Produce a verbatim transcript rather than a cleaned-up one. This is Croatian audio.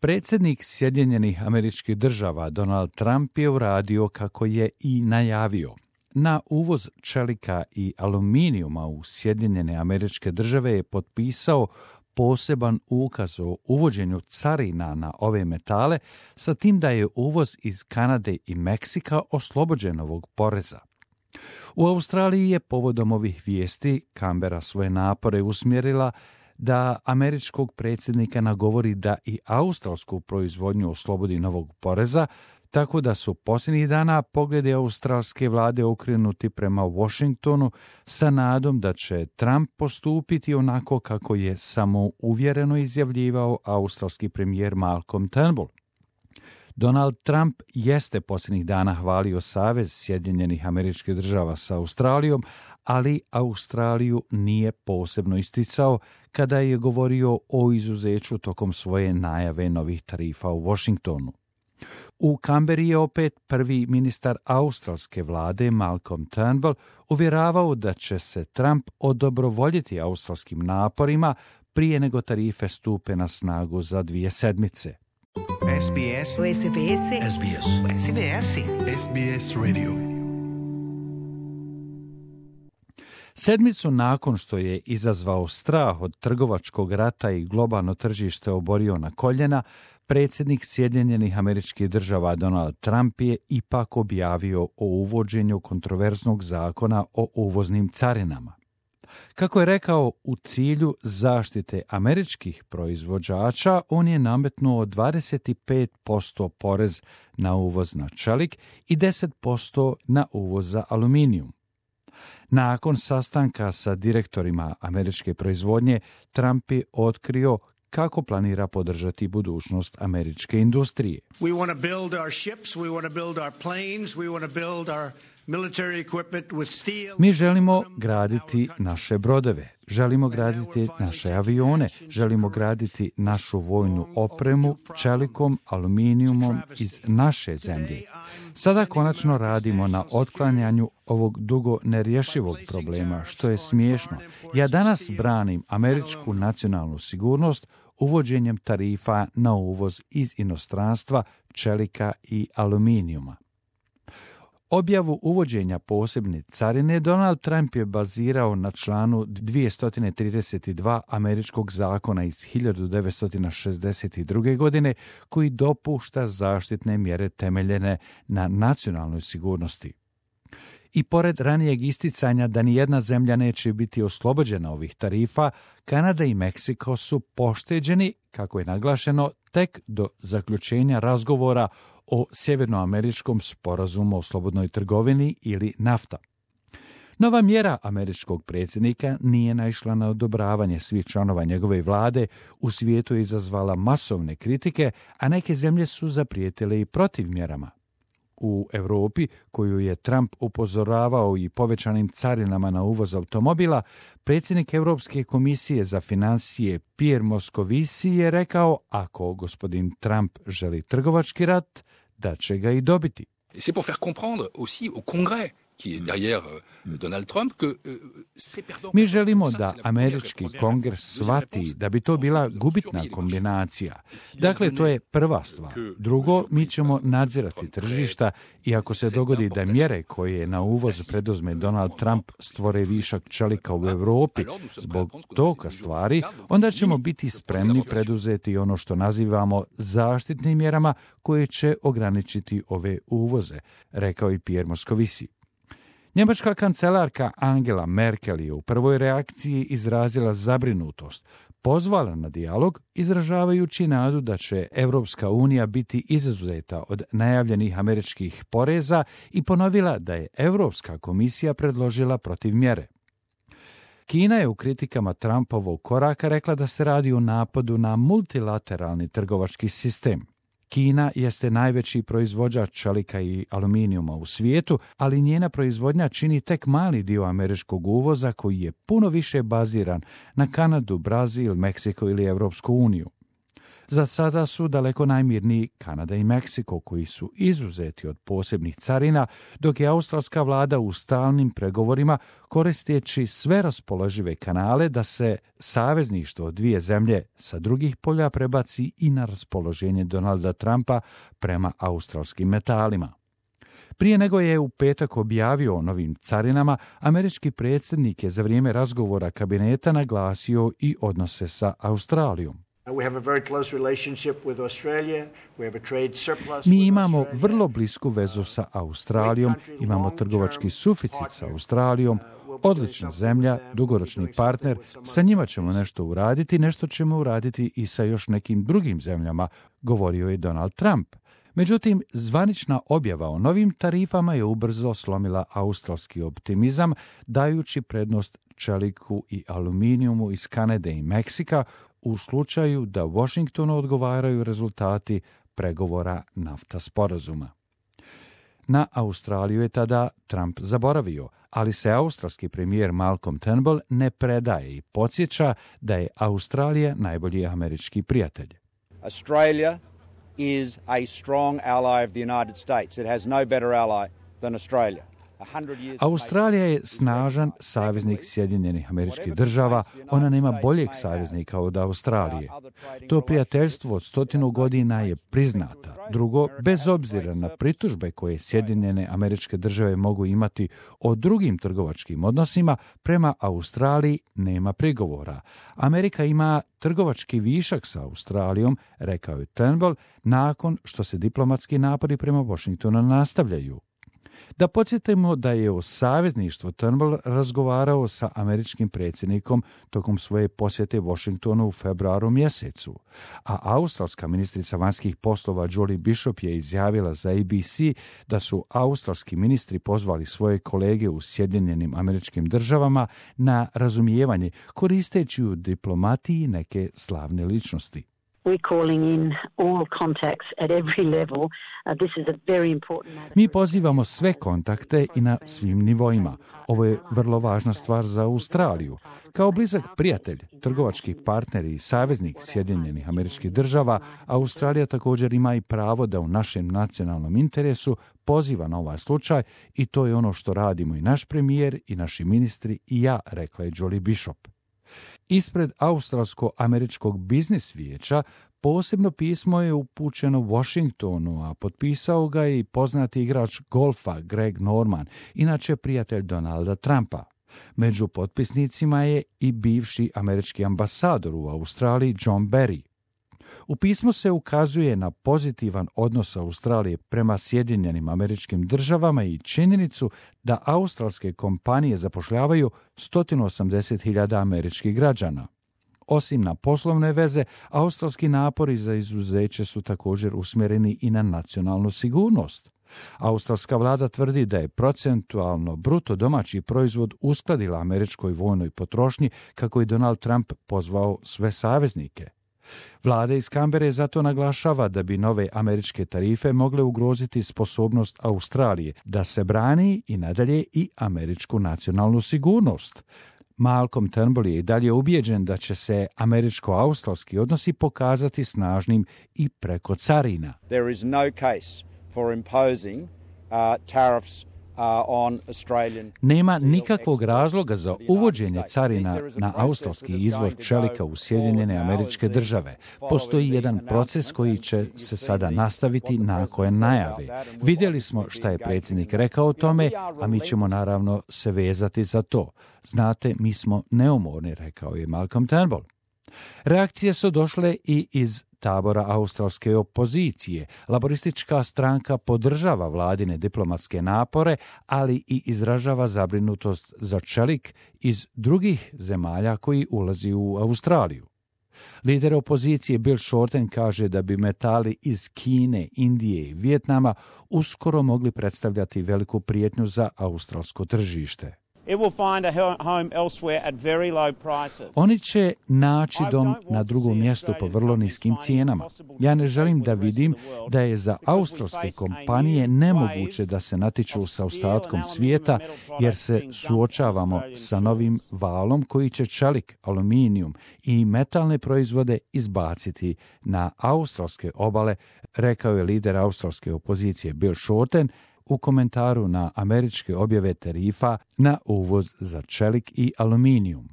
Predsjednik Sjedinjenih Američkih Država Donald Trump je uradio kako je i najavio. Na uvoz čelika i aluminijuma u Sjedinjene Američke Države je potpisao poseban ukaz o uvođenju carina na ove metale, sa tim da je uvoz iz Kanade i Meksika oslobođen ovog poreza. U Australiji je povodom ovih vijesti Canberra svoje napore usmjerila da američkog predsjednika nagovori da i australsku proizvodnju oslobodi novog poreza, tako da su posljednjih dana pogledi australske vlade okrenuti prema Washingtonu sa nadom da će Trump postupiti onako kako je samouvjereno izjavljivao australski premijer Malcolm Turnbull. Donald Trump jeste posljednjih dana hvalio Savez Sjedinjenih Američkih Država sa Australijom, ali Australiju nije posebno isticao kada je govorio o izuzeću tokom svoje najave novih tarifa u Washingtonu. U Canberri je opet prvi ministar australske vlade Malcolm Turnbull uvjeravao da će se Trump odobrovoljiti australskim naporima prije nego tarife stupe na snagu za dvije sedmice. S B S. S B S. S B S. S B S. S B S Radio. Sedmicu nakon što je izazvao strah od trgovačkog rata i globalno tržište oborio na koljena, predsjednik Sjedinjenih Američkih Država Donald Trump je ipak objavio o uvođenju kontroverznog zakona o uvoznim carinama. Kako je rekao, u cilju zaštite američkih proizvođača, on je nametnuo dvadeset pet posto porez na uvoz na čelik i deset posto na uvoz za aluminijum. Nakon sastanka sa direktorima američke proizvodnje, Trump je otkrio kako planira podržati budućnost američke industrije. We want to build our ships, we want to build our planes, we want to build our military equipment with steel. Mi želimo graditi naše brodove, želimo graditi naše avione, želimo graditi našu vojnu opremu čelikom, aluminijumom iz naše zemlje. Sada konačno radimo na otklanjanju ovog dugo nerješivog problema, što je smiješno. Ja danas branim američku nacionalnu sigurnost uvođenjem tarifa na uvoz iz inostranstva čelika i aluminijuma. Objavu uvođenja posebne carine Donald Trump je bazirao na članu dvjesto trideset dva američkog zakona iz hiljadu devetsto šezdeset druge. godine koji dopušta zaštitne mjere temeljene na nacionalnoj sigurnosti. I pored ranijeg isticanja da nijedna zemlja neće biti oslobođena ovih tarifa, Kanada i Meksiko su pošteđeni, kako je naglašeno, tek do zaključenja razgovora o sjevernoameričkom sporazumu o slobodnoj trgovini ili NAFTA. Nova mjera američkog predsjednika nije naišla na odobravanje svih članova njegove vlade, u svijetu je izazvala masovne kritike, a neke zemlje su zaprijetile i protiv mjerama. U Europi, koju je Trump upozoravao i povećanim carinama na uvoz automobila, predsjednik Europske komisije za financije Pierre Moscovici je rekao, ako gospodin Trump želi trgovački rat, da će ga i dobiti. Et c'est pour faire comprendre aussi au Congrès qui est derrière Donald Trump que c'est perdant. Mi želimo da američki kongres shvati da bi to bila gubitna kombinacija. Dakle, to je prva stvar. Drugo, mi ćemo nadzirati tržišta i ako se dogodi da mjere koje na uvoz preduzme Donald Trump stvore višak čelika u Europi zbog toga stvari, onda ćemo biti spremni preduzeti ono što nazivamo zaštitnim mjerama koje će ograničiti ove uvoze, rekao i Pierre Moscovici. Njemačka kancelarka Angela Merkel je u prvoj reakciji izrazila zabrinutost, pozvala na dijalog, izražavajući nadu da će Europska unija biti izuzeta od najavljenih američkih poreza i ponovila da je Europska komisija predložila protiv mjere. Kina je u kritikama Trumpovog koraka rekla da se radi o napadu na multilateralni trgovački sistem. Kina jeste najveći proizvođač čelika i aluminijuma u svijetu, ali njena proizvodnja čini tek mali dio američkog uvoza koji je puno više baziran na Kanadu, Brazil, Meksiko ili Europsku uniju. Za sada su daleko najmirniji Kanada i Meksiko, koji su izuzeti od posebnih carina, dok je australska vlada u stalnim pregovorima koristeći sve raspoložive kanale da se savezništvo dvije zemlje sa drugih polja prebaci i na raspoloženje Donalda Trumpa prema australskim metalima. Prije nego je u petak objavio o novim carinama, američki predsjednik je za vrijeme razgovora kabineta naglasio i odnose sa Australijom. Mi imamo vrlo blisku vezu sa Australijom, imamo trgovački suficit sa Australijom, odlična zemlja, dugoročni partner, sa njima ćemo nešto uraditi, nešto ćemo uraditi i sa još nekim drugim zemljama, govorio je Donald Trump. Međutim, zvanična objava o novim tarifama je ubrzo slomila australski optimizam, dajući prednost čeliku i aluminijumu iz Kanade i Meksika u slučaju da Washingtonu odgovaraju rezultati pregovora NAFTA sporazuma. Na Australiju je tada Trump zaboravio, ali se australski premijer Malcolm Turnbull ne predaje i podsjeća da je Australija najbolji američki prijatelj. Australia is a strong ally of the United States. It has no better ally than Australia. Australija je snažan saveznik Sjedinjenih Američkih Država, ona nema boljeg saveznika od Australije. To prijateljstvo od stotinu godina je priznata. Drugo, bez obzira na pritužbe koje Sjedinjene Američke Države mogu imati o drugim trgovačkim odnosima, prema Australiji nema prigovora. Amerika ima trgovački višak sa Australijom, rekao je Turnbull, nakon što se diplomatski napori prema Washingtonu nastavljaju. Da podsjetimo da je o savezništvu Turnbull razgovarao sa američkim predsjednikom tokom svoje posjete Washingtonu u februaru mjesecu, a australska ministrica vanjskih poslova Julie Bishop je izjavila za A B C da su australski ministri pozvali svoje kolege u Sjedinjenim Američkim Državama na razumijevanje, koristeći u diplomatiji neke slavne ličnosti. Mi pozivamo sve kontakte i na svim nivoima. Ovo je vrlo važna stvar za Australiju. Kao blizak prijatelj, trgovački partner i saveznik Sjedinjenih Američkih Država, Australija također ima i pravo da u našem nacionalnom interesu poziva na ovaj slučaj i to je ono što radimo i naš premijer i naši ministri i ja, rekla je Julie Bishop. Ispred Australsko-američkog biznis vijeća posebno pismo je upućeno Washingtonu, a potpisao ga je i poznati igrač golfa Greg Norman, inače prijatelj Donalda Trumpa. Među potpisnicima je i bivši američki ambasador u Australiji John Barry. U pismu se ukazuje na pozitivan odnos Australije prema Sjedinjenim Američkim Državama i činjenicu da australske kompanije zapošljavaju sto osamdeset hiljada američkih građana. Osim na poslovne veze, australski napori za izuzeće su također usmjereni i na nacionalnu sigurnost. Australska vlada tvrdi da je procentualno bruto domaći proizvod uskladila američkoj vojnoj potrošnji, kako je Donald Trump pozvao sve saveznike. Vlada iz Kambere zato naglašava da bi nove američke tarife mogle ugroziti sposobnost Australije da se brani i nadalje i američku nacionalnu sigurnost. Malcolm Turnbull je i dalje ubijeđen da će se američko-australski odnosi pokazati snažnim i preko carina. There is no case for imposing uh, tariffs uh, on Australian. Nema nikakvog razloga za uvođenje carina na australski izvoz čelika u Sjedinjene Američke Države. Postoji jedan proces koji će se sada nastaviti nakon najave. Vidjeli smo šta je predsjednik rekao o tome, a mi ćemo naravno se vezati za to. Znate, mi smo neumorni, rekao je Malcolm Turnbull. Reakcije su došle i iz tabora australske opozicije. Laboristička stranka podržava vladine diplomatske napore, ali i izražava zabrinutost za čelik iz drugih zemalja koji ulazi u Australiju. Lider opozicije Bill Shorten kaže da bi metali iz Kine, Indije i Vijetnama uskoro mogli predstavljati veliku prijetnju za australsko tržište. Oni će naći dom na drugom mjestu po vrlo niskim cijenama. Ja ne želim da vidim da je za australske kompanije nemoguće da se natječu sa ostatkom svijeta, jer se suočavamo sa novim valom koji će čelik, aluminijum i metalne proizvode izbaciti na australske obale, rekao je lider australske opozicije Bill Shorten u komentaru na američke objave tarifa na uvoz za čelik i aluminijum.